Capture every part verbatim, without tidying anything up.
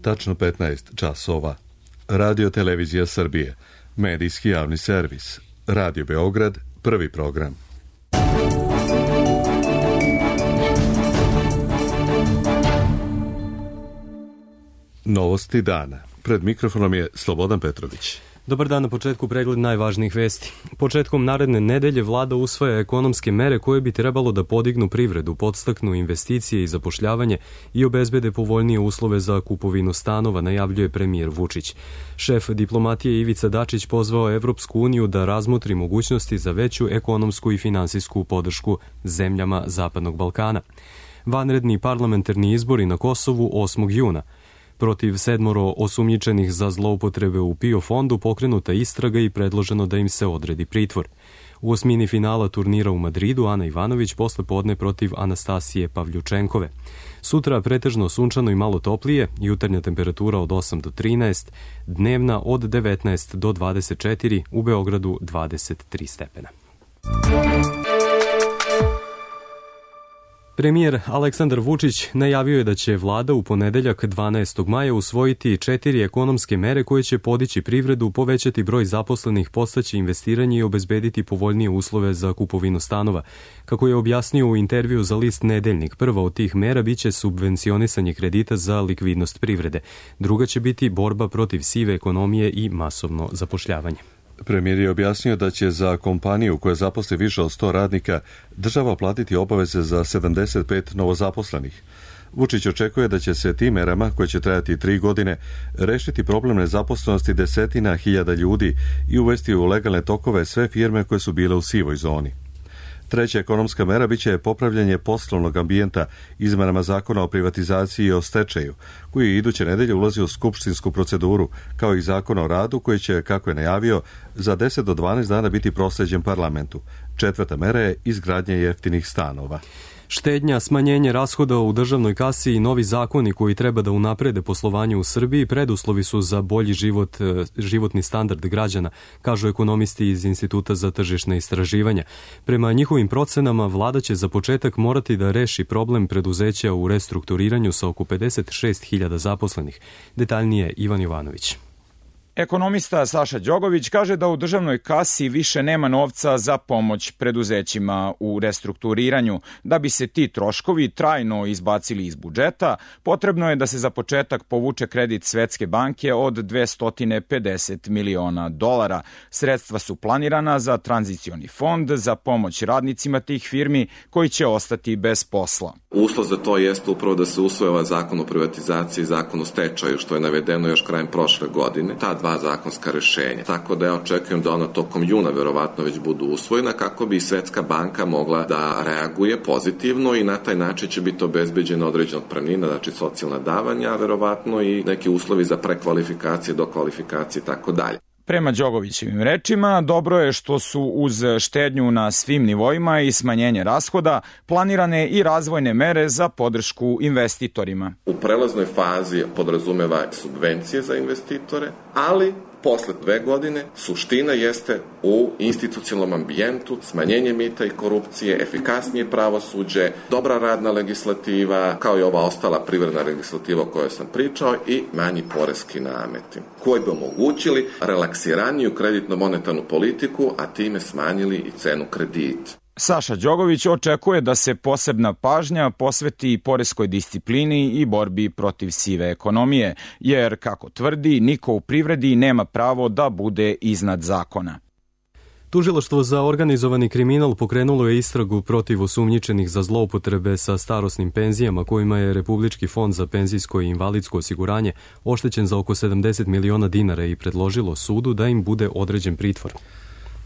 tačno petnaest časova. Radio Televizija Srbije, medijski javni servis. Radio Beograd, prvi program. Novosti dana. Pred mikrofonom je Slobodan Petrović. Dobar dan, na početku pregled najvažnijih vesti. Početkom naredne nedelje vlada usvaja ekonomske mere koje bi trebalo da podignu privredu, podstaknu investicije i zapošljavanje i obezbede povoljnije uslove za kupovinu stanova, najavljuje premijer Vučić. Šef diplomatije Ivica Dačić pozvao Evropsku uniju da razmotri mogućnosti za veću ekonomsku i finansijsku podršku zemljama Zapadnog Balkana. Vanredni parlamentarni izbori na Kosovu osmog juna. Protiv sedmoro osumnjičenih za zloupotrebe u PIO fondu pokrenuta istraga i predloženo da im se odredi pritvor. U osmini finala turnira u Madridu Ana Ivanović posle podne protiv Anastasije Pavljučenkove. Sutra pretežno sunčano i malo toplije, jutarnja temperatura od osam do trinaest, dnevna od devetnaest do dvadeset četiri, u Beogradu dvadeset tri stepena. Premijer Aleksandar Vučić najavio je da će vlada u ponedeljak dvanaestog maja usvojiti četiri ekonomske mere koje će podići privredu, povećati broj zaposlenih, podstaći investiranje i obezbediti povoljnije uslove za kupovinu stanova. Kako je objasnio u intervju za list Nedeljnik, prva od tih mera biće subvencionisanje kredita za likvidnost privrede. Druga će biti borba protiv sive ekonomije i masovno zapošljavanje. Premijer je objasnio da će za kompaniju koja zaposli više od sto radnika država platiti obaveze za sedamdeset pet novozaposlenih. Vučić očekuje da će se tim merama, koje će trajati tri godine, rešiti problem nezaposlenosti desetina hiljada ljudi i uvesti u legalne tokove sve firme koje su bile u sivoj zoni. Treća ekonomska mera biće popravljanje poslovnog ambijenta izmenama zakona o privatizaciji i o stečaju, koji iduće nedelje ulazi u skupštinsku proceduru, kao i zakon o radu koji će, kako je najavio, za deset do dvanaest dana biti prosleđen parlamentu. Četvrta mera je izgradnja jeftinih stanova. Štednja, smanjenje rashoda u državnoj kasi i novi zakoni koji treba da unaprede poslovanje u Srbiji preduslovi su za bolji život, životni standard građana, kažu ekonomisti iz Instituta za tržišna istraživanja. Prema njihovim procenama, vlada će za početak morati da reši problem preduzeća u restrukturiranju sa oko pedeset šest hiljada zaposlenih. Detaljnije Ivan Jovanović. Ekonomista Saša Đogović kaže da u državnoj kasi više nema novca za pomoć preduzećima u restrukturiranju. Da bi se ti troškovi trajno izbacili iz budžeta, potrebno je da se za početak povuče kredit Svetske banke od dvesta pedeset miliona dolara. Sredstva su planirana za tranzicioni fond za pomoć radnicima tih firmi koji će ostati bez posla. Uslov za to jeste upravo da se usvoje ovaj zakon o privatizaciji i zakon o stečaju, što je navedeno još krajem prošle godine. Ta dva zakonska rešenja. Tako da ja očekujem da ona tokom juna verovatno već budu usvojena kako bi Svetska banka mogla da reaguje pozitivno i na taj način će biti obezbeđena određena otpremnina, znači socijalna davanja, verovatno i neki uslovi za prekvalifikacije, dokvalifikacije i tako dalje. Prema Đogovićevim rečima, dobro je što su uz štednju na svim nivoima i smanjenje rashoda planirane i razvojne mere za podršku investitorima. U prelaznoj fazi podrazumeva subvencije za investitore, ali posle dve godine suština jeste u institucionalnom ambijentu, smanjenje mita i korupcije, efikasnije pravosuđe, dobra radna legislativa, kao i ova ostala privredna legislativa o kojoj sam pričao i manji poreski nameti, koji bi omogućili relaksiraniju kreditno-monetarnu politiku, a time smanjili i cenu kredita. Saša Đogović očekuje da se posebna pažnja posveti poreskoj disciplini i borbi protiv sive ekonomije, jer, kako tvrdi, niko u privredi nema pravo da bude iznad zakona. Tužilaštvo za organizovani kriminal pokrenulo je istragu protiv osumnjičenih za zloupotrebe sa starosnim penzijama kojima je Republički fond za penzijsko i invalidsko osiguranje oštećen za oko sedamdeset miliona dinara i predložilo sudu da im bude određen pritvor.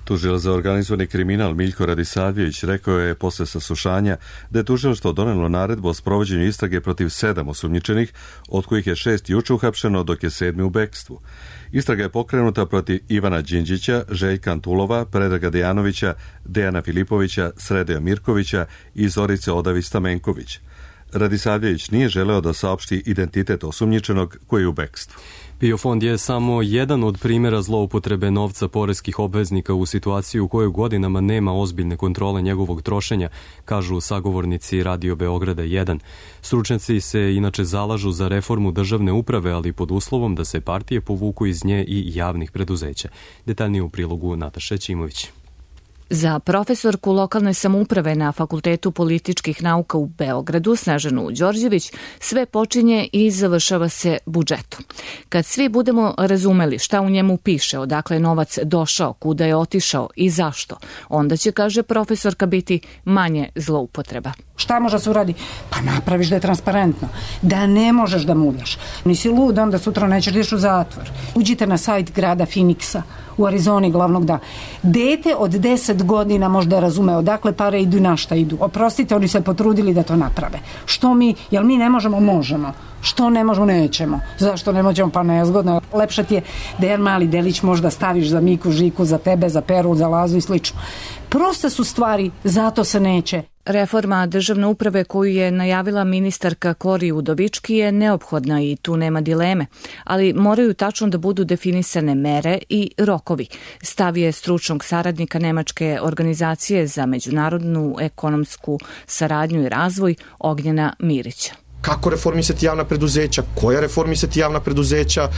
Tužilac za organizovani kriminal Miljko Radisavljević rekao je posle saslušanja da je tužilaštvo donelo naredbu o sprovođenju istrage protiv sedam osumnjičenih, od kojih je šest juče uhapšeno, dok je sedmi u bekstvu. Istraga je pokrenuta protiv Ivana Đinđića, Željka Antulova, Predraga Dejanovića, Dejana Filipovića, Sredeja Mirkovića i Zorice Odavi Stamenković. Radisavljević nije želeo da saopšti identitet osumnjičenog koji je u bekstvu. PIO fond je samo jedan od primjera zloupotrebe novca poreskih obveznika u situaciji u kojoj godinama nema ozbiljne kontrole njegovog trošenja, kažu sagovornici Radio Beograda jedan. Stručnjaci se inače zalažu za reformu državne uprave, ali pod uslovom da se partije povuku iz nje i javnih preduzeća. Detaljnije u prilogu Nataše Ćimović. Za profesorku lokalne samouprave na Fakultetu političkih nauka u Beogradu, Snežanu Đorđević, sve počinje i završava se budžetom. Kad svi budemo razumeli šta u njemu piše, odakle je novac došao, kuda je otišao i zašto, onda će, kaže profesorka, biti manje zloupotreba. Šta može se uradi? Pa napraviš da je transparentno. Da ne možeš da muljaš. Nisi lud, onda sutra nećeš da ideš u zatvor. Uđite na sajt grada Phoenixa u Arizoni glavnog da. Dete od deset godina možda razume odakle pare idu i na šta idu. Oprostite, oni se potrudili da to naprave. Što mi, jel mi ne možemo? Možemo. Što ne možemo? Nećemo. Zašto ne možemo? Pa nezgodno. Lepše ti je da jedan mali delić možda staviš za Miku, Žiku, za tebe, za Peru, za Lazu i slično. Proste su stvari, zato se neće. Reforma državne uprave koju je najavila ministarka Kori Udovički je neophodna i tu nema dileme, ali moraju tačno da budu definisane mere i rokovi. Stav je stručnog saradnika Nemačke organizacije za međunarodnu ekonomsku saradnju i razvoj Ognjena Mirića. Kako reformisati javna preduzeća, koja reformisati javna preduzeća,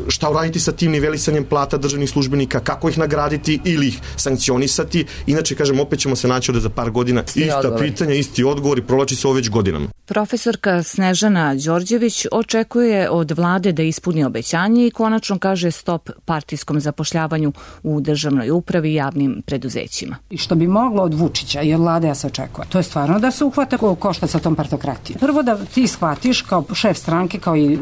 šta uraditi sa tim nivelisanjem plata državnih službenika, kako ih nagraditi ili ih sankcionisati. Inače, kažem, opet ćemo se naći ovde za par godina. Ista odgovor. pitanja, isti odgovor i provlači se ovo već godinama. Profesorka Snežana Đorđević očekuje od vlade da ispuni obećanje i konačno kaže stop partijskom zapošljavanju u državnoj upravi i javnim preduzećima. I što bi moglo od Vučića i od vlade ja se očekuje, to je stvarno da se uhvata košta sa tom partokratijom. Prvo da ti shvatiš kao šef stranke, kao i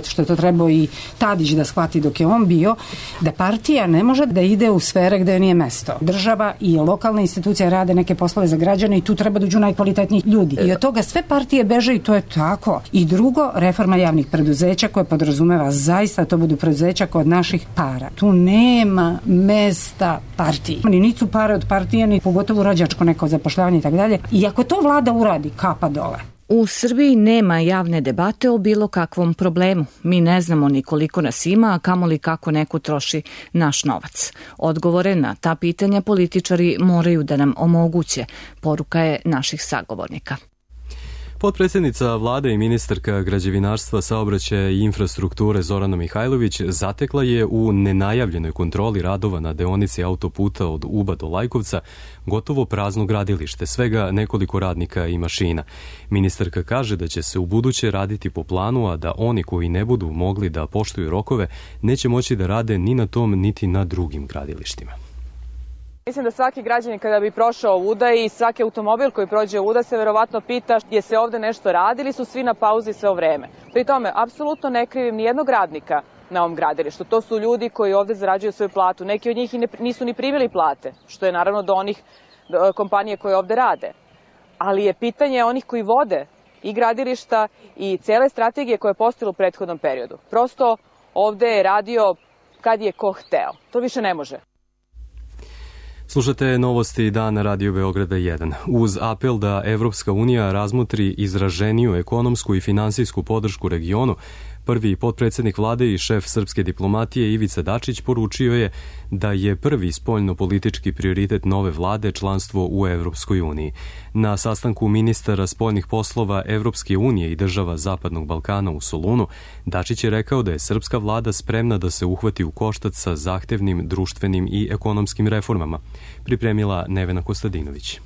što je to trebao i Tadić da shvati dok je on bio, da partija ne može da ide u sfere gde nije mesto. Država i lokalne institucije rade neke poslove za građane i tu treba da uđu najkvalitetniji ljudi. I od toga sve partije beže i to je tako. I drugo, reforma javnih preduzeća koja podrazumeva zaista to budu preduzeća kod naših para. Tu nema mesta partiji. Ni nisu pare od partije, ni pogotovo rođačko neko zapošljavanje i tako dalje. I ako to vlada uradi, kapa dole. U Srbiji nema javne debate o bilo kakvom problemu. Mi ne znamo ni koliko nas ima, a kamoli kako neko troši naš novac. Odgovore na ta pitanja političari moraju da nam omoguće, poruka je naših sagovornika. Potpredsjednica vlade i ministarka građevinarstva, saobraćaja i infrastrukture Zorana Mihajlović zatekla je u nenajavljenoj kontroli radova na deonici autoputa od Uba do Lajkovca gotovo prazno gradilište, svega nekoliko radnika i mašina. Ministarka kaže da će se u buduće raditi po planu, a da oni koji ne budu mogli da poštuju rokove neće moći da rade ni na tom niti na drugim gradilištima. Mislim da svaki građanin kada bi prošao ovuda i svaki automobil koji prođe ovuda se verovatno pita je se ovde nešto radi ili su svi na pauzi sve o vreme. Pri tome, apsolutno ne krivim ni jednog radnika na ovom gradilištu. To su ljudi koji ovde zarađuju svoju platu. Neki od njih i ne, nisu ni primili plate, što je naravno do onih do kompanije koje ovde rade. Ali je pitanje onih koji vode i gradilišta i cele strategije koje je postojala u prethodnom periodu. Prosto ovde je radio kad je ko hteo. To više ne može. Slušate novosti dana Radio Beograda jedan. Uz apel da Evropska unija razmotri izraženiju ekonomsku i finansijsku podršku regionu, prvi potpredsjednik vlade i šef srpske diplomatije Ivica Dačić poručio je da je prvi spoljno-politički prioritet nove vlade članstvo u Evropskoj uniji. Na sastanku ministara spoljnih poslova Evropske unije i država Zapadnog Balkana u Solunu, Dačić je rekao da je srpska vlada spremna da se uhvati u koštac sa zahtevnim društvenim i ekonomskim reformama, pripremila Nevena Kostadinović.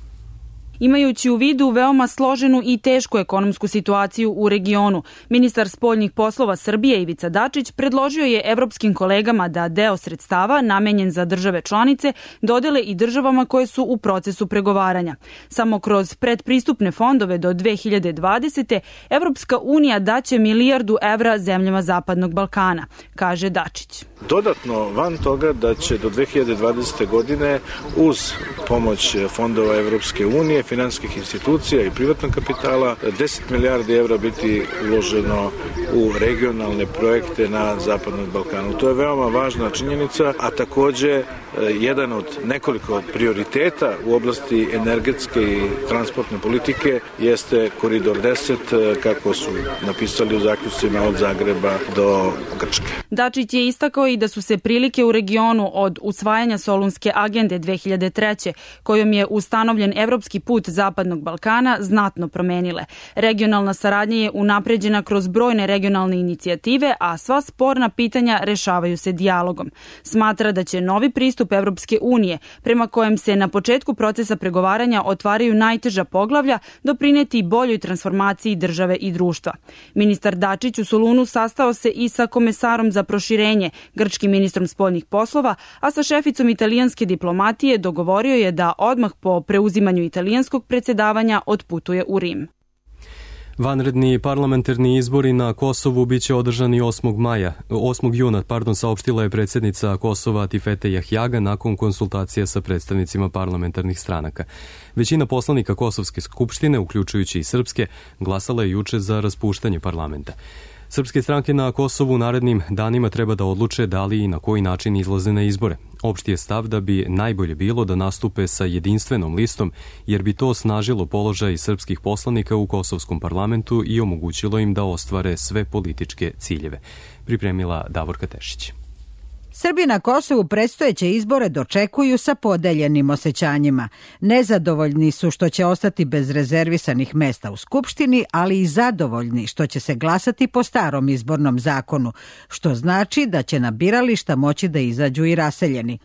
Imajući u vidu veoma složenu i tešku ekonomsku situaciju u regionu, ministar spoljnih poslova Srbije Ivica Dačić predložio je evropskim kolegama da deo sredstava namenjen za države članice dodele i državama koje su u procesu pregovaranja. Samo kroz predpristupne fondove do dve hiljade dvadesete. Evropska unija daće milijardu evra zemljama Zapadnog Balkana, kaže Dačić. Dodatno, van toga da će do dve hiljade dvadesete. godine uz pomoć fondova Evropske unije finansijskih institucija i privatnog kapitala, deset milijardi evra biti uloženo u regionalne projekte na Zapadnom Balkanu. To je veoma važna činjenica, a takođe jedan od nekoliko prioriteta u oblasti energetske i transportne politike jeste Koridor deset, kako su napisali u zaključcima od Zagreba do Grčke. Dačić je istakao i da su se prilike u regionu od usvajanja Solunske agende dve hiljade treće, kojom je ustanovljen evropski put Zapadnog Balkana, znatno promenile. Regionalna saradnja je unapređena kroz brojne regionalne inicijative, a sva sporna pitanja rešavaju se dijalogom. Smatra da će novi pristup Evropske unije, prema kojem se na početku procesa pregovaranja otvaraju najteža poglavlja, doprineti boljoj transformaciji države i društva. Ministar Dačić u Solunu sastao se i sa komesarom za proširenje, grčkim ministrom spoljnih poslova, a sa šeficom italijanske diplomatije dogovorio je da odmah po preuzimanju italijanskog predsjedavanja otputuje u Rim. Vanredni parlamentarni izbori na Kosovu biće održani osmog maja, osmog juna, pardon, saopštila je predsjednica Kosova Tifete Jahjaga nakon konsultacija sa predstavnicima parlamentarnih stranaka. Većina poslanika Kosovske skupštine, uključujući i srpske, glasala je juče za raspuštanje parlamenta. Srpske stranke na Kosovu u narednim danima treba da odluče da li i na koji način izlaze na izbore. Opšti je stav da bi najbolje bilo da nastupe sa jedinstvenom listom, jer bi to osnažilo položaj srpskih poslanika u kosovskom parlamentu i omogućilo im da ostvare sve političke ciljeve. Pripremila Davorka Tešić. Srbi na Kosovu predstojeće izbore dočekuju sa podeljenim osjećanjima. Nezadovoljni su što će ostati bez rezervisanih mesta u Skupštini, ali i zadovoljni što će se glasati po starom izbornom zakonu, što znači da će na birališta moći da izađu i raseljeni.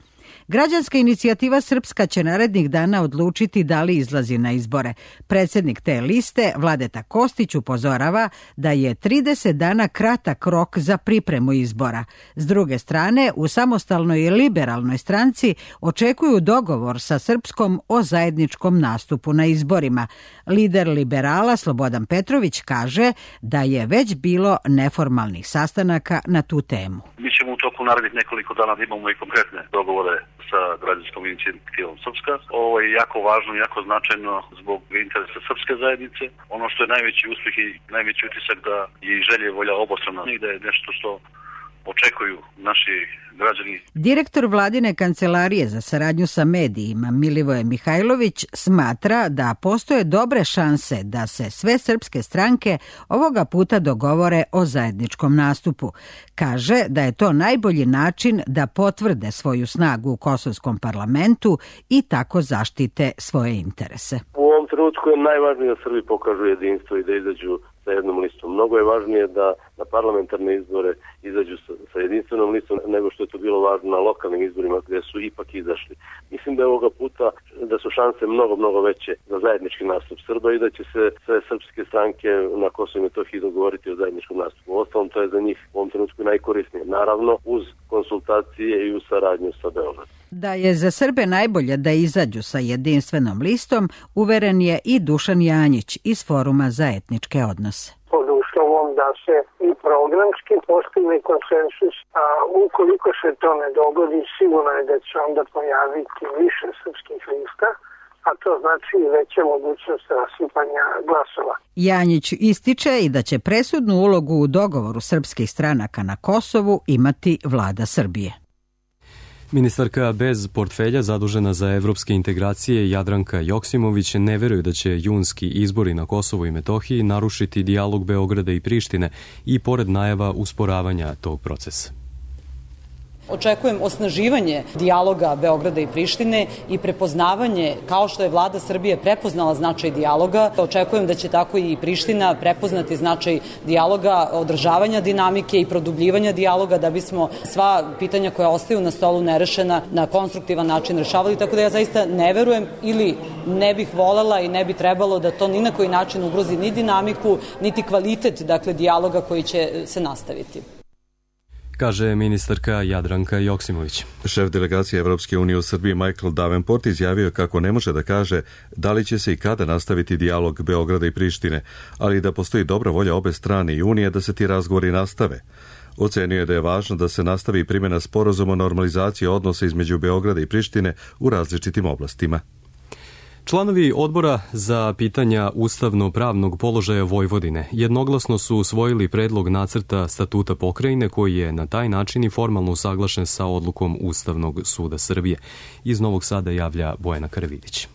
Građanska inicijativa Srpska će narednih dana odlučiti da li izlazi na izbore. Predsjednik te liste, Vladeta Kostić, upozorava da je trideset dana kratak rok za pripremu izbora. S druge strane, u samostalnoj i liberalnoj stranci očekuju dogovor sa Srpskom o zajedničkom nastupu na izborima. Lider liberala Slobodan Petrović kaže da je već bilo neformalnih sastanaka na tu temu. Mi ćemo u toku narednih nekoliko dana da imamo i konkretne dogovore sa građanskom inicijativom Srpska. Ovo je jako važno, jako značajno zbog interesa srpske zajednice. Ono što je najveći uspjeh i najveći utisak da je i želje i volja obostrana i da je nešto što očekuju naši građani. Direktor vladine kancelarije za saradnju sa medijima Milivoje Mihajlović smatra da postoje dobre šanse da se sve srpske stranke ovoga puta dogovore o zajedničkom nastupu. Kaže da je to najbolji način da potvrde svoju snagu u kosovskom parlamentu i tako zaštite svoje interese. U ovom trenutku je najvažnije da Srbi pokažu jedinstvo i da izađu sa jednom listom. Mnogo je važnije da na parlamentarne izbore izađu sa, sa jedinstvenom listom nego što je to bilo važno na lokalnim izborima gdje su ipak izašli. Mislim da je ovoga puta da su šanse mnogo, mnogo veće za zajednički nastup Srba i da će se sve srpske stranke na Kosovu i Metohiji dogovoriti o zajedničkom nastupu. Ostalom, to je za njih u ovom trenutku najkorisnije. Naravno, uz konsultacije i uz saradnju sa Beogradom. Da je za Srbe najbolje da izađu sa jedinstvenom listom, uveren je i Dušan Janjić iz Foruma za etničke odnose. Pod uslovom da se i programski postigne konsensus, a ukoliko se to ne dogodi, sigurno je da će onda pojaviti više srpskih lista, a to znači i veća mogućnost rasipanja glasova. Janjić ističe i da će presudnu ulogu u dogovoru srpskih stranaka na Kosovu imati vlada Srbije. Ministarka bez portfelja zadužena za evropske integracije Jadranka Joksimović ne veruje da će junski izbori na Kosovu i Metohiji narušiti dijalog Beograda i Prištine i pored najava usporavanja tog procesa. Očekujem osnaživanje dijaloga Beograda i Prištine i prepoznavanje, kao što je vlada Srbije prepoznala značaj dijaloga, očekujem da će tako i Priština prepoznati značaj dijaloga, održavanja dinamike i produbljivanja dijaloga da bismo sva pitanja koja ostaju na stolu nerešena na konstruktivan način rešavali, tako da ja zaista ne verujem ili ne bih volela i ne bi trebalo da to ni na koji način ugrozi ni dinamiku, niti kvalitet, dakle, dijaloga koji će se nastaviti. Kaže ministarka Jadranka Joksimović. Šef delegacije Evropske unije u Srbiji Michael Davenport izjavio kako ne može da kaže da li će se i kada nastaviti dijalog Beograda i Prištine, ali da postoji dobra volja obe strane i Unije da se ti razgovori nastave. Ocenio je da je važno da se nastavi primjena sporazuma o normalizaciji odnosa između Beograda i Prištine u različitim oblastima. Članovi odbora za pitanja ustavno-pravnog položaja Vojvodine jednoglasno su usvojili predlog nacrta statuta pokrajine koji je na taj način i formalno usaglašen sa odlukom Ustavnog suda Srbije. Iz Novog Sada javlja Bojana Karavidić.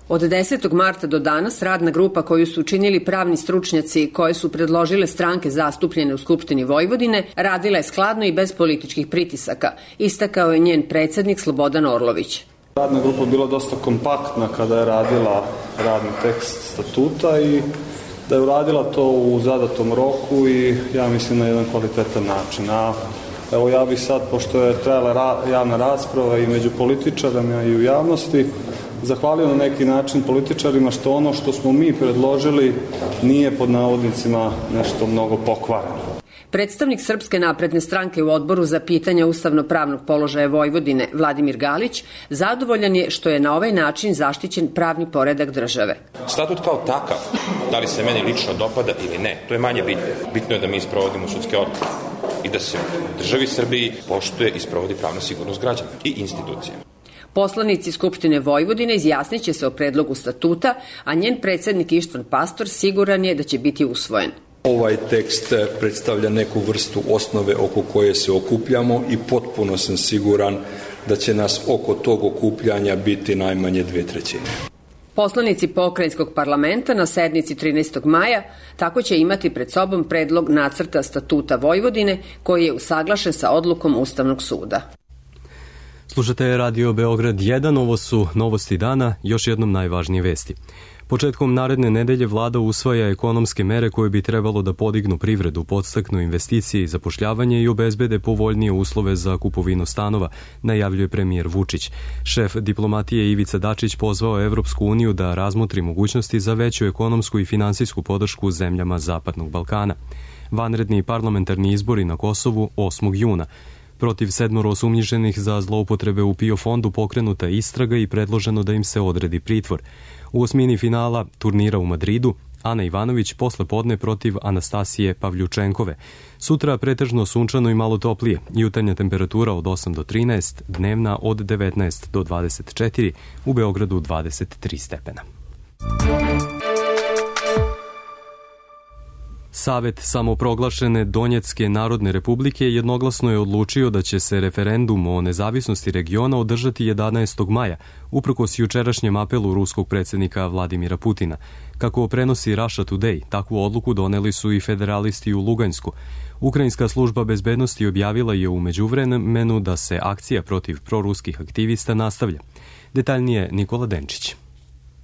Od desetog marta do danas radna grupa koju su činili pravni stručnjaci koje su predložile stranke zastupljene u Skupštini Vojvodine radila je skladno i bez političkih pritisaka, istakao je njen predsednik Slobodan Orlović. Radna grupa bila dosta kompaktna kada je radila radni tekst statuta i da je uradila to u zadatom roku i ja mislim na jedan kvalitetan način. A evo ja bih sad, pošto je trajala ra- javna rasprava i među političarima i u javnosti, zahvalio na neki način političarima što ono što smo mi predložili nije pod navodnicima nešto mnogo pokvareno. Predstavnik Srpske napredne stranke u odboru za pitanja ustavno-pravnog položaja Vojvodine, Vladimir Galić, zadovoljan je što je na ovaj način zaštićen pravni poredak države. Statut kao takav, da li se meni lično dopada ili ne, to je manje bitno. Bitno je da mi sprovodimo sudske odluke i da se u državi Srbiji poštuje i sprovodi pravna sigurnost građana i institucija. Poslanici Skupštine Vojvodine izjasniće se o predlogu statuta, a njen predsednik Ištvan Pastor siguran je da će biti usvojen. Ovaj tekst predstavlja neku vrstu osnove oko koje se okupljamo i potpuno sam siguran da će nas oko tog okupljanja biti najmanje dve trećine. Poslanici pokrajinskog parlamenta na sednici trinaestog maja tako će imati pred sobom predlog nacrta statuta Vojvodine koji je usaglašen sa odlukom Ustavnog suda. Slušate Radio Beograd jedan, ovo su novosti dana, još jednom najvažnije vesti. Početkom naredne nedelje vlada usvaja ekonomske mere koje bi trebalo da podignu privredu, podstaknu investicije i zapošljavanje i obezbede povoljnije uslove za kupovinu stanova, najavljuje premijer Vučić. Šef diplomatije Ivica Dačić pozvao Evropsku uniju da razmotri mogućnosti za veću ekonomsku i finansijsku podršku zemljama Zapadnog Balkana. Vanredni parlamentarni izbori na Kosovu osmog juna. Protiv sedmoro osumnjičenih za zloupotrebe u PIO fondu pokrenuta istraga i predloženo da im se odredi pritvor. U osmini finala turnira u Madridu Ana Ivanović posle podne protiv Anastasije Pavljučenkove. Sutra pretežno sunčano i malo toplije, jutarnja temperatura od osam do trinaest, dnevna od devetnaest do dvadeset četiri, u Beogradu dvadeset tri stepena. Savet samoproglašene Donjecke narodne republike jednoglasno je odlučio da će se referendum o nezavisnosti regiona održati jedanaestog maja, uprkos jučerašnjem apelu ruskog predsjednika Vladimira Putina. Kako prenosi Russia Today, takvu odluku doneli su i federalisti u Luganjsku. Ukrajinska služba bezbednosti objavila je u međuvremenu da se akcija protiv proruskih aktivista nastavlja. Detaljnije Nikola Denčić.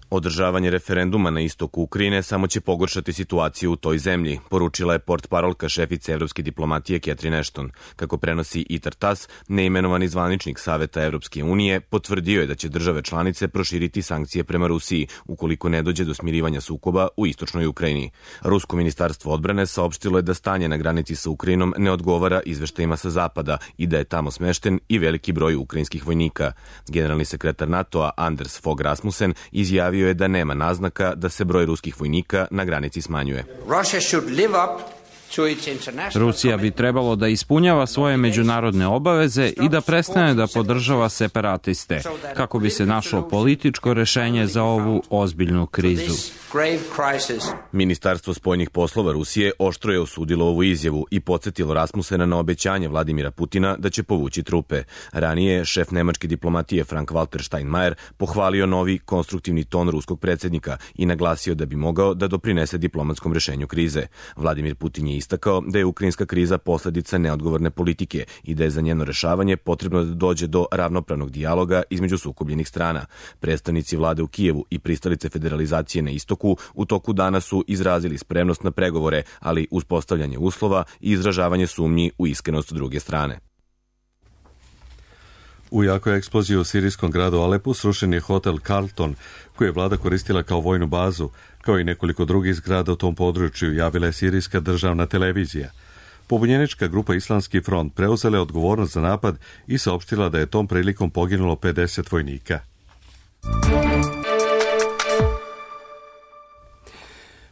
Održavanje referenduma na istoku Ukrajine samo će pogoršati situaciju u toj zemlji, poručila je portparolka šefice evropske diplomatije Catherine Ashton. Kako prenosi I T A R TASS, neimenovani zvaničnik Saveta Evropske unije potvrdio je da će države članice proširiti sankcije prema Rusiji ukoliko ne dođe do smirivanja sukoba u istočnoj Ukrajini. Rusko ministarstvo odbrane saopštilo je da stanje na granici sa Ukrajinom ne odgovara izveštajima sa zapada i da je tamo smešten i veliki broj ukrajinskih vojnika. Generalni sekretar NATO-a Anders Fogh Rasmussen izjavio je da nema naznaka da se broj ruskih vojnika na granici smanjuje. Rusija bi trebalo da ispunjava svoje međunarodne obaveze i da prestane da podržava separatiste, kako bi se našlo političko rešenje za ovu ozbiljnu krizu. Ministarstvo spoljnih poslova Rusije oštro je osudilo ovu izjavu i podsjetilo Rasmusena na obećanje Vladimira Putina da će povući trupe. Ranije, šef nemačke diplomatije Frank-Walter Steinmeier pohvalio novi konstruktivni ton ruskog predsjednika i naglasio da bi mogao da doprinese diplomatskom rešenju krize. Vladimir Putin je istakao da je ukrajinska kriza posledica neodgovorne politike i da je za njeno rešavanje potrebno da dođe do ravnopravnog dijaloga između sukobljenih strana. Predstavnici vlade u Kijevu i pristalice federalizacije na istoku u toku dana su izrazili spremnost na pregovore, ali uspostavljanje uslova i izražavanje sumnji u iskrenost druge strane. U jakoj eksploziji u sirijskom gradu Alepu srušen je hotel Carlton, koji je vlada koristila kao vojnu bazu, kao i nekoliko drugih zgrada u tom području, javila je sirijska državna televizija. Pobunjenička grupa Islamski front preuzela je odgovornost za napad i saopštila da je tom prilikom poginulo pedeset vojnika.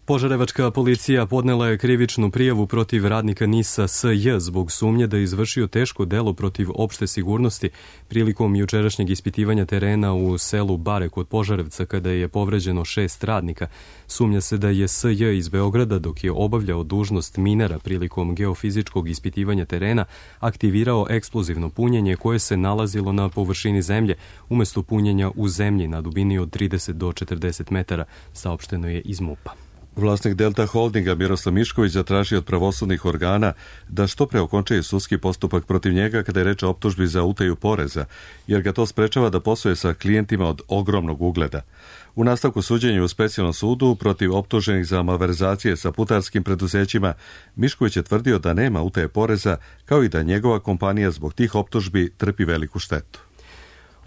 Požarevačka policija podnela je krivičnu prijavu protiv radnika NIS-a S J zbog sumnje da je izvršio teško delo protiv opšte sigurnosti prilikom jučerašnjeg ispitivanja terena u selu Bare kod Požarevca kada je povređeno šest radnika. Sumnja se da je S J iz Beograda dok je obavljao dužnost minera prilikom geofizičkog ispitivanja terena aktivirao eksplozivno punjenje koje se nalazilo na površini zemlje umesto punjenja u zemlji na dubini od trideset do četrdeset metara, saopšteno je iz MUP-a. Vlasnik Delta Holdinga Miroslav Mišković zatražio od pravosudnih organa da što pre okončaju sudski postupak protiv njega kada je reč o optužbi za utaju poreza, jer ga to sprečava da posluje sa klijentima od ogromnog ugleda. U nastavku suđenja u specijalnom sudu protiv optuženih za malverzacije sa putarskim preduzećima, Mišković je tvrdio da nema utaje poreza, kao i da njegova kompanija zbog tih optužbi trpi veliku štetu.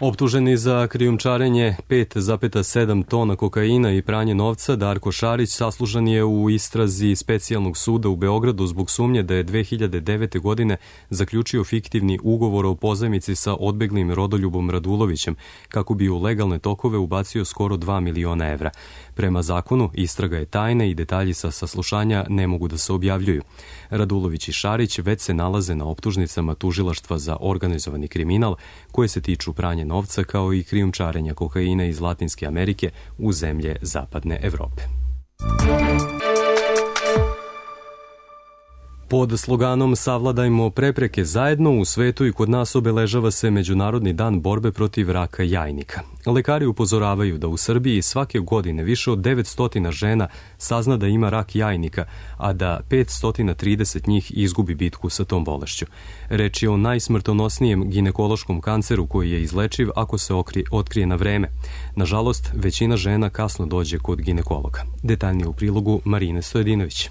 Optuženi za krijumčarenje pet zarez sedam tona kokaina i pranje novca, Darko Šarić saslužan je u istrazi specijalnog suda u Beogradu zbog sumnje da je dve hiljade devete. godine zaključio fiktivni ugovor o pozajmici sa odbeglim Rodoljubom Radulovićem, kako bi u legalne tokove ubacio skoro dva miliona evra. Prema zakonu, istraga je tajna i detalji sa saslušanja ne mogu da se objavljuju. Radulović i Šarić već se nalaze na optužnicama Tužilaštva za organizovani kriminal, koje se tiču pranja novca kao i krijumčarenja kokaina iz Latinske Amerike u zemlje zapadne Evrope. Pod sloganom Savladajmo prepreke zajedno u svetu i kod nas obeležava se Međunarodni dan borbe protiv raka jajnika. Lekari upozoravaju da u Srbiji svake godine više od devetsto žena sazna da ima rak jajnika, a da petsto trideset njih izgubi bitku sa tom bolešću. Reč je o najsmrtonosnijem ginekološkom kanceru koji je izlečiv ako se otkrije na vreme. Nažalost, većina žena kasno dođe kod ginekologa. Detaljnije u prilogu Marine Stojedinović.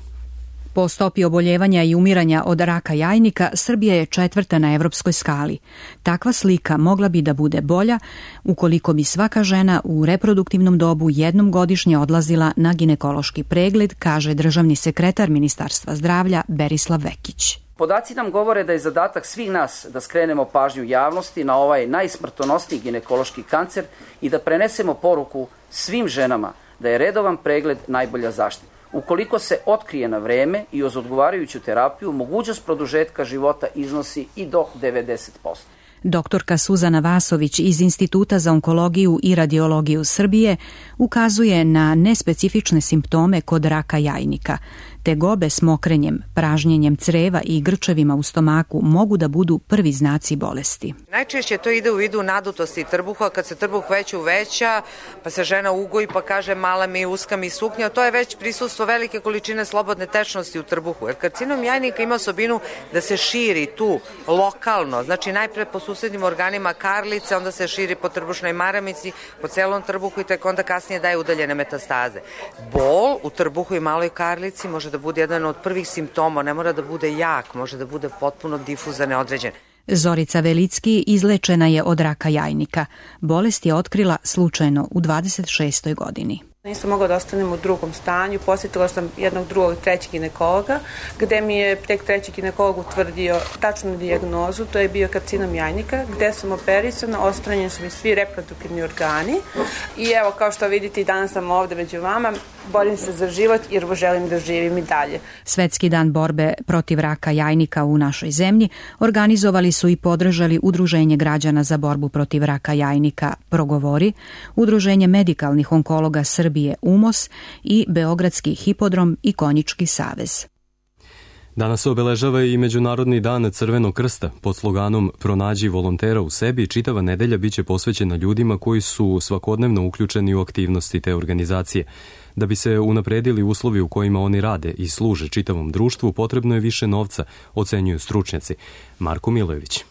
Po stopi oboljevanja i umiranja od raka jajnika, Srbija je četvrta na evropskoj skali. Takva slika mogla bi da bude bolja ukoliko bi svaka žena u reproduktivnom dobu jednom godišnje odlazila na ginekološki pregled, kaže državni sekretar Ministarstva zdravlja Berislav Vekić. Podaci nam govore da je zadatak svih nas da skrenemo pažnju javnosti na ovaj najsmrtonosniji ginekološki kancer i da prenesemo poruku svim ženama da je redovan pregled najbolja zaštita. Ukoliko se otkrije na vreme i uz odgovarajuću terapiju, mogućnost produžetka života iznosi i do devedeset posto. Doktorka Suzana Vasović iz Instituta za onkologiju i radiologiju Srbije ukazuje na nespecifične simptome kod raka jajnika. Tegobe s mokrenjem, pražnjenjem creva i grčevima u stomaku mogu da budu prvi znaci bolesti. Najčešće to ide u vidu nadutosti trbuha, kad se trbuh već uveća, pa se žena ugoji pa kaže mala mi, uska mi suknja, to je već prisustvo velike količine slobodne tečnosti u trbuhu. Jer karcinom jajnika ima osobinu da se širi tu lokalno, znači najpre po susednim organima karlice, onda se širi po trbušnoj maramici, po celom trbuhu i tek onda kasnije daje udaljene metastaze. Bol u trbuhu i maloj karlici može da bude jedan od prvih simptoma, ne mora da bude jak, može da bude potpuno difuzan, neodređen. Zorica Velicki izlečena je od raka jajnika. Bolest je otkrila slučajno u dvadeset šestoj godini. Nisam mogla da ostanem u drugom stanju, posjetila sam jednog drugog trećeg ginekologa, gde mi je tek treći ginekolog utvrdio tačnu dijagnozu, to je bio karcinom jajnika, gde sam operisana, odstranjeni su mi svi reproduktivni organi i evo kao što vidite i danas sam ovde među vama, borim se za život jer želim da živim i dalje. Svetski dan borbe protiv raka jajnika u našoj zemlji organizovali su i podržali Udruženje građana za borbu protiv raka jajnika Progovori, Udruženje medikalnih onkologa Srbije U M O S i Beogradski hipodrom i Konjički savez. Danas se obeležava i Međunarodni dan Crvenog krsta. Pod sloganom Pronađi volontera u sebi, čitava nedelja biće posvećena ljudima koji su svakodnevno uključeni u aktivnosti te organizacije. Da bi se unapredili uslovi u kojima oni rade i služe čitavom društvu, potrebno je više novca, ocenjuju stručnjaci. Marko Milojević.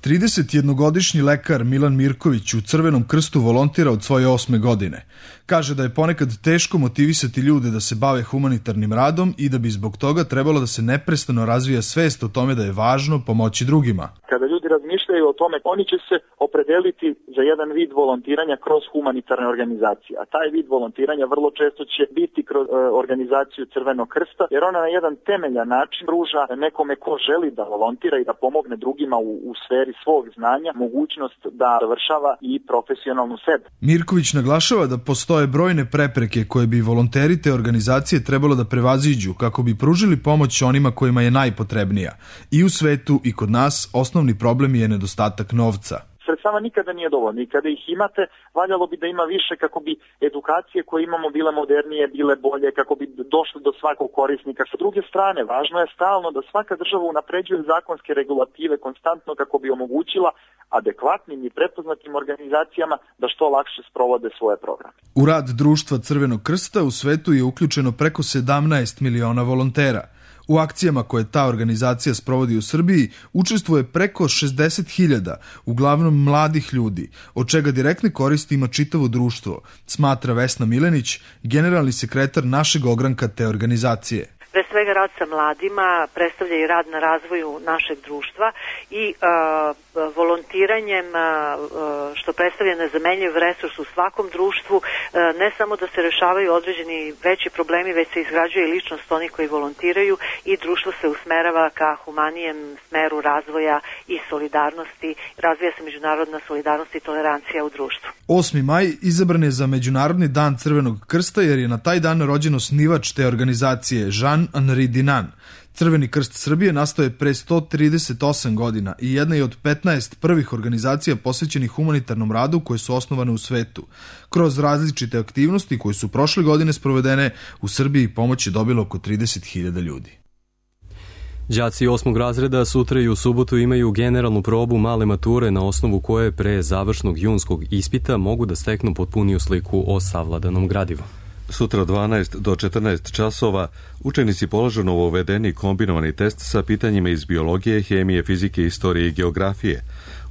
tridesetjednogodišnji lekar Milan Mirković u Crvenom krstu volontira od svoje osme godine. Kaže da je ponekad teško motivisati ljude da se bave humanitarnim radom i da bi zbog toga trebalo da se neprestano razvija svest o tome da je važno pomoći drugima. Kada ljudi razmišljaju o tome, oni će se opredeliti za jedan vid volontiranja kroz humanitarne organizacije. A taj vid volontiranja vrlo često će biti kroz e, organizaciju Crvenog krsta, jer ona na jedan temeljan način pruža nekome ko želi da volontira i da pomogne drugima u, u sferi svog znanja, mogućnost da završava i profesionalnu sebe. Mirković naglašava da postoje postoje brojne prepreke koje bi volonteri te organizacije trebalo da prevaziđu kako bi pružili pomoć onima kojima je najpotrebnija. I u svetu i kod nas osnovni problem je nedostatak novca. Sredstava nikada nije dovoljno i kada ih imate, valjalo bi da ima više kako bi edukacije koje imamo bile modernije, bile bolje, kako bi došli do svakog korisnika. Sa druge strane, važno je stalno da svaka država unapređuje zakonske regulative konstantno kako bi omogućila adekvatnim i prepoznatim organizacijama da što lakše sprovode svoje programe. U rad Društva Crvenog krsta u svetu je uključeno preko sedamnaest miliona volontera. U akcijama koje ta organizacija sprovodi u Srbiji učestvuje preko šezdeset hiljada, uglavnom mladih ljudi, od čega direktne koristi ima čitavo društvo, smatra Vesna Milenić, generalni sekretar našeg ogranka te organizacije. Pre svega rad sa mladima predstavlja i rad na razvoju našeg društva i uh, volontiranjem, uh, što predstavlja nezamenljiv resurs u svakom društvu, uh, ne samo da se rešavaju određeni veći problemi, već se izgrađuje i ličnost onih koji volontiraju i društvo se usmerava ka humanijem smeru razvoja i solidarnosti, razvija se međunarodna solidarnost i tolerancija u društvu. osmi maj izabran je za Međunarodni dan Crvenog krsta jer je na taj dan rođen osnivač te organizacije Jean-Henri Dinan. Crveni krst Srbije nastao je pre sto trideset osam godina i jedna je od petnaest prvih organizacija posvećenih humanitarnom radu koje su osnovane u svetu. Kroz različite aktivnosti koje su prošle godine sprovedene, u Srbiji pomoć je dobilo oko trideset hiljada ljudi. Đaci osmog razreda sutra i u subotu imaju generalnu probu male mature na osnovu koje pre završnog junskog ispita mogu da steknu potpuniju sliku o savladanom gradivu. Sutra od dvanaest do četrnaest časova učenici polažu novovedeni kombinovani test sa pitanjima iz biologije, hemije, fizike, istorije i geografije.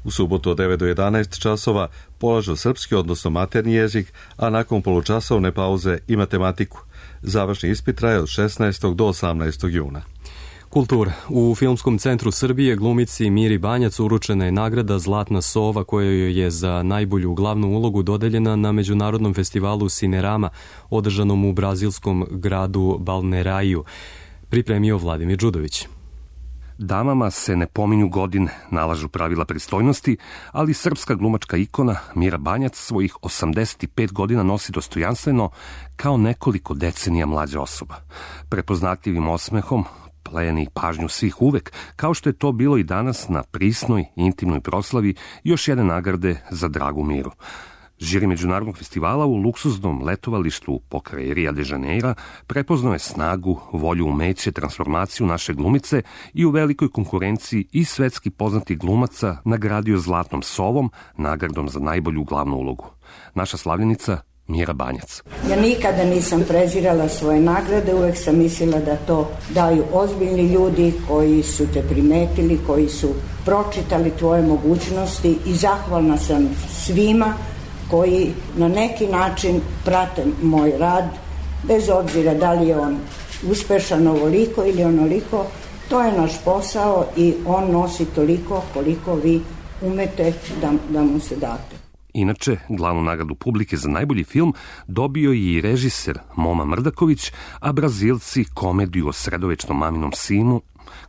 U subotu od devet do jedanaest časova polažu srpski, odnosno maternji jezik, a nakon polučasovne pauze i matematiku. Završni ispit traje od šesnaestog do osamnaestog juna. Kultura. U Filmskom centru Srbije glumici Miri Banjac uručena je nagrada Zlatna sova koja joj je za najbolju glavnu ulogu dodeljena na Međunarodnom festivalu Cinerama održanom u brazilskom gradu Balnearaju. Pripremio Vladimir Đudović. Damama se ne pominju godine, nalažu pravila pristojnosti, ali srpska glumačka ikona Mira Banjac svojih osamdeset pet godina nosi dostojanstveno kao nekoliko decenija mlađa osoba. Prepoznatljivim osmehom pleni pažnju svih uvek, kao što je to bilo i danas na prisnoj, intimnoj proslavi još jedne nagrade za dragu Miru. Žiri Međunarodnog festivala u luksuznom letovalištu pokraj Rio de Janeira prepoznao je snagu, volju, umeće, transformaciju naše glumice i u velikoj konkurenciji i svetski poznatih glumaca nagradio Zlatnom sovom, nagradom za najbolju glavnu ulogu. Naša slavljenica Mira Banjac. Ja nikada nisam prezirala svoje nagrade, uvek sam mislila da to daju ozbiljni ljudi koji su te primetili, koji su pročitali tvoje mogućnosti i zahvalna sam svima koji na neki način prate moj rad, bez obzira da li je on uspešan ovoliko ili onoliko, to je naš posao i on nosi toliko koliko vi umete da, da mu se date. Inače, glavnu nagradu publike za najbolji film dobio je i režiser Moma Mrdaković, a Brazilci komediju o sredovečnom maminom sinu,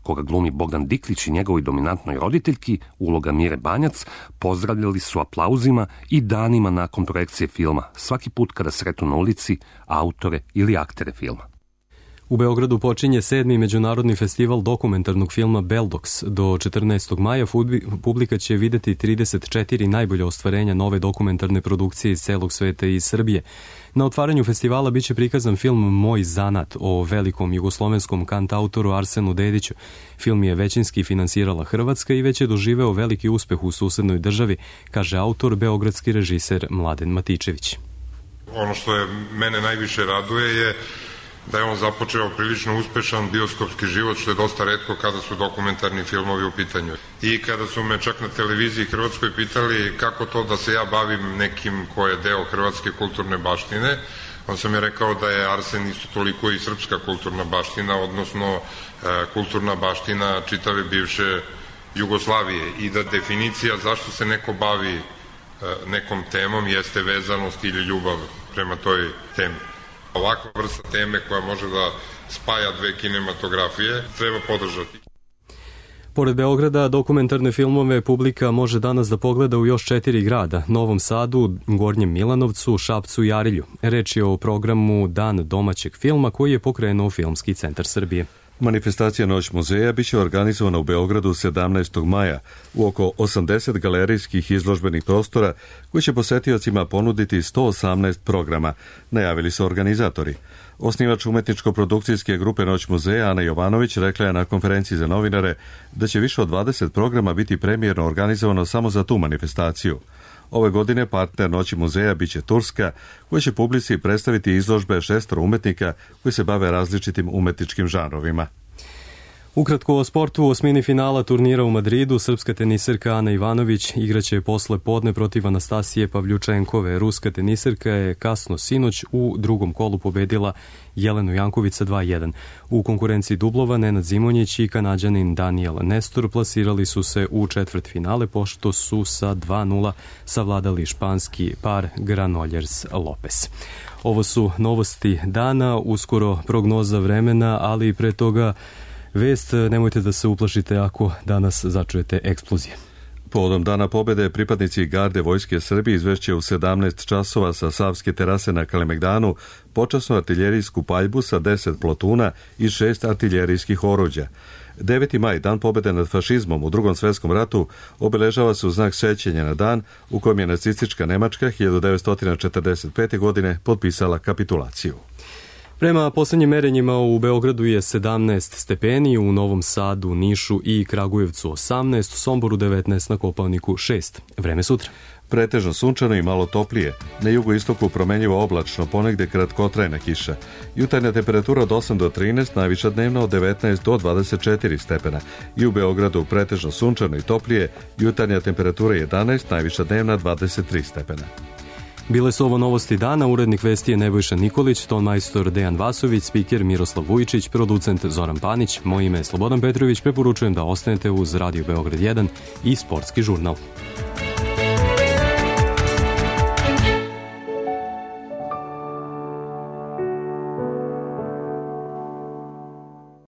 koga glumi Bogdan Diklić i njegovoj dominantnoj roditeljki, uloga Mire Banjac, pozdravljali su aplauzima i danima nakon projekcije filma, svaki put kada sretnu na ulici autore ili aktere filma. U Beogradu počinje sedmi međunarodni festival dokumentarnog filma Beldox. Do četrnaestog maja publika će videti trideset četiri najbolje ostvarenja nove dokumentarne produkcije iz celog sveta i iz Srbije. Na otvaranju festivala biće prikazan film Moj zanat o velikom jugoslovenskom kantautoru Arsenu Dediću. Film je većinski finansirala Hrvatska i već je doživeo veliki uspeh u susednoj državi, kaže autor, beogradski režiser Mladen Matičević. Ono što je mene najviše raduje je da je on započeo prilično uspešan bioskopski život, što je dosta retko kada su dokumentarni filmovi u pitanju. I kada su me čak na televiziji Hrvatskoj pitali kako to da se ja bavim nekim ko je deo hrvatske kulturne baštine, on sam je rekao da je Arsen isto toliko i srpska kulturna baština, odnosno e, kulturna baština čitave bivše Jugoslavije i da definicija zašto se neko bavi e, nekom temom jeste vezanost ili ljubav prema toj temi. Ovakva vrsta teme koja može da spaja dve kinematografije treba podržati. Pored Beograda, dokumentarne filmove publika može danas da pogleda u još četiri grada, Novom Sadu, Gornjem Milanovcu, Šapcu i Arilju. Reč je o programu Dan domaćeg filma koji je pokrenuo Filmski centar Srbije. Manifestacija Noć muzeja biće organizovana u Beogradu sedamnaestog maja u oko osamdeset galerijskih izložbenih prostora koji će posetiocima ponuditi sto osamnaest programa, najavili su organizatori. Osnivač umetničko-produkcijske grupe Noć muzeja Ana Jovanović rekla je na konferenciji za novinare da će više od dvadeset programa biti premijerno organizovano samo za tu manifestaciju. Ove godine partner Noći muzeja biće Turska, koja će publici predstaviti izložbe šestoro umetnika koji se bave različitim umetničkim žanrovima. Ukratko o sportu, u osmini finala turnira u Madridu srpska teniserka Ana Ivanović igraće posle podne protiv Anastasije Pavljučenkove. Ruska teniserka je kasno sinoć u drugom kolu pobedila Jelenu Janković dva jedan. U konkurenciji dublova Nenad Zimonjić i Kanađanin Daniel Nestor plasirali su se u četvrt finale pošto su sa dva nula savladali španski par Granollers Lopez. Ovo su novosti dana, uskoro prognoza vremena, ali pre toga vest, nemojte da se uplašite ako danas začujete eksplozije. Povodom Dana pobede pripadnici garde Vojske Srbije izvešće u sedamnaest časova sa Savske terase na Kalemegdanu počasnu artiljerijsku paljbu sa deset plotuna i šest artiljerijskih oruđa. deveti maj, Dan pobede nad fašizmom u Drugom svetskom ratu, obeležava se u znak sećanja na dan u kojem je nacistička Nemačka hiljadu devetsto četrdeset pete. godine potpisala kapitulaciju. Prema poslednjim merenjima u Beogradu je sedamnaest stepeni, u Novom Sadu, Nišu i Kragujevcu osamnaest, u Somboru devetnaest, na Kopaoniku šest. Vreme sutra. Pretežno sunčano i malo toplije. Na jugoistoku promenljivo oblačno, ponegde kratkotrajna kiša. Jutarnja temperatura od osam do trinaest, najviša dnevna od devetnaest do dvadeset četiri stepena. I u Beogradu pretežno sunčano i toplije, jutarnja temperatura jedanaest, najviša dnevna dvadeset tri stepena. Bile su ovo novosti dana, urednik vesti je Nebojša Nikolić, ton majstor Dejan Vasović, spiker Miroslav Vujičić, producent Zoran Panić, moje ime je Slobodan Petrović, preporučujem da ostanete uz Radio Beograd jedan i Sportski žurnal.